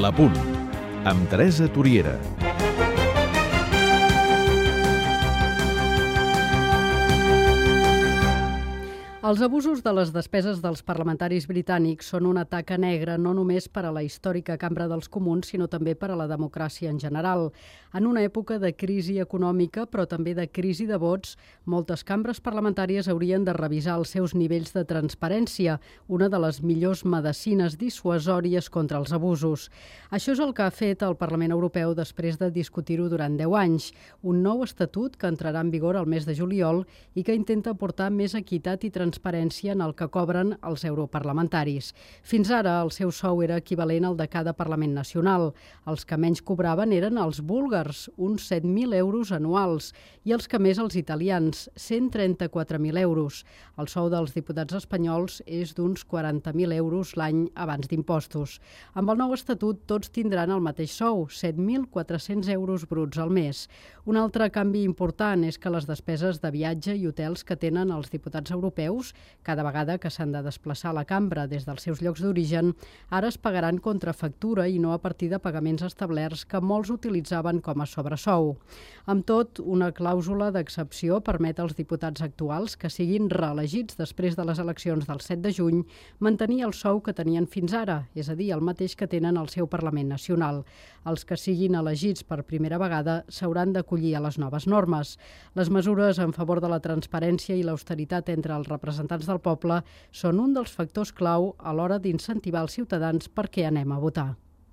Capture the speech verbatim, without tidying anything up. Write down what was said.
L'Apunt, amb Teresa Toriera. Els abusos de les despeses dels parlamentaris britànics són una taca negra no només per a la històrica Cambra dels Comuns, sinó també per a la democràcia en general. En una època de crisi econòmica, però també de crisi de vots, moltes cambres parlamentàries haurien de revisar els seus nivells de transparència, una de les millors medecines dissuasòries contra els abusos. Això és el que ha fet el Parlament Europeu després de discutir-ho durant deu anys, un nou estatut que entrarà en vigor al mes de juliol i que intenta aportar més equitat i transparència transparència en el que cobren els europarlamentaris. Fins ara, el seu sou era equivalent al de cada Parlament nacional. Els que menys cobraven eren els búlgars, uns set mil euros anuals, i els que més els italians, cent trenta-quatre mil euros. El sou dels diputats espanyols és d'uns quaranta mil euros l'any abans d'impostos. Amb el nou estatut, tots tindran el mateix sou, set mil quatre-cents euros bruts al mes. Un altre canvi important és que les despeses de viatge i hotels que tenen els diputats europeus cada vegada que s'han de desplaçar a la cambra des dels seus llocs d'origen, ara es pagaran contra factura i no a partir de pagaments establerts que molts utilitzaven com a sobresou. Amb tot, una clàusula d'excepció permet als diputats actuals que siguin reelegits després de les eleccions del set de juny mantenir el sou que tenien fins ara, és a dir, el mateix que tenen al seu Parlament Nacional. Els que siguin elegits per primera vegada s'hauran d'acollir a les noves normes. Les mesures en favor de la transparència i l'austeritat entre els representants del poble són un dels factors clau a l'hora d'incentivar els ciutadans perquè anem a votar.